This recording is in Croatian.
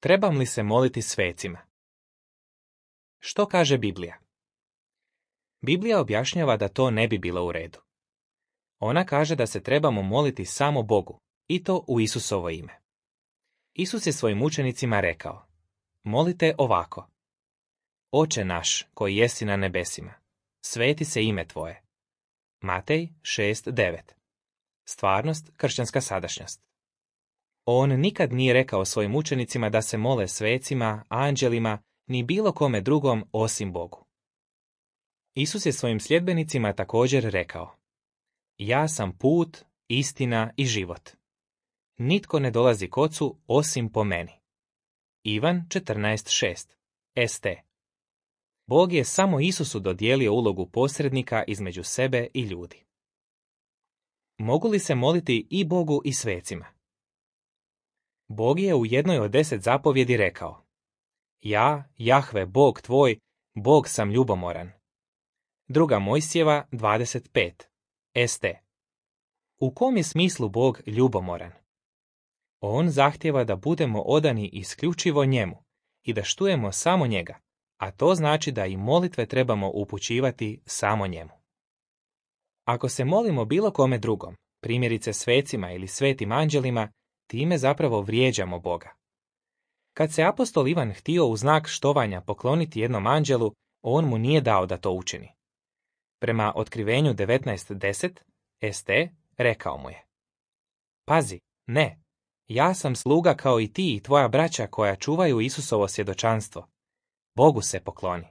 Trebam li se moliti svecima? Što kaže Biblija? Biblija objašnjava da to ne bi bilo u redu. Ona kaže da se trebamo moliti samo Bogu, i to u Isusovo ime. Isus je svojim učenicima rekao: molite ovako: Oče naš, koji jesi na nebesima, sveti se ime tvoje. Matej 6:9. Stvarnost, kršćanska sadašnjost. On nikad nije rekao svojim učenicima da se mole svecima, anđelima, ni bilo kome drugom osim Bogu. Isus je svojim sljedbenicima također rekao: ja sam put, istina i život. Nitko ne dolazi k Ocu osim po meni. Ivan 14:6. St. Bog je samo Isusu dodijelio ulogu posrednika između sebe i ljudi. Mogu li se moliti i Bogu i svecima? Bog je u jednoj od 10 zapovjedi rekao: ja, Jahve, Bog tvoj, Bog sam ljubomoran. 2. Mojsijeva 25. St. U kom je smislu Bog ljubomoran? On zahtijeva da budemo odani isključivo njemu i da štujemo samo njega, a to znači da i molitve trebamo upućivati samo njemu. Ako se molimo bilo kome drugom, primjerice svecima ili svetim anđelima, time zapravo vrijeđamo Boga. Kad se apostol Ivan htio u znak štovanja pokloniti jednom anđelu, on mu nije dao da to učini. Prema Otkrivenju 19:10, St. rekao mu je: pazi, ne, ja sam sluga kao i ti i tvoja braća koja čuvaju Isusovo svjedočanstvo. Bogu se pokloni.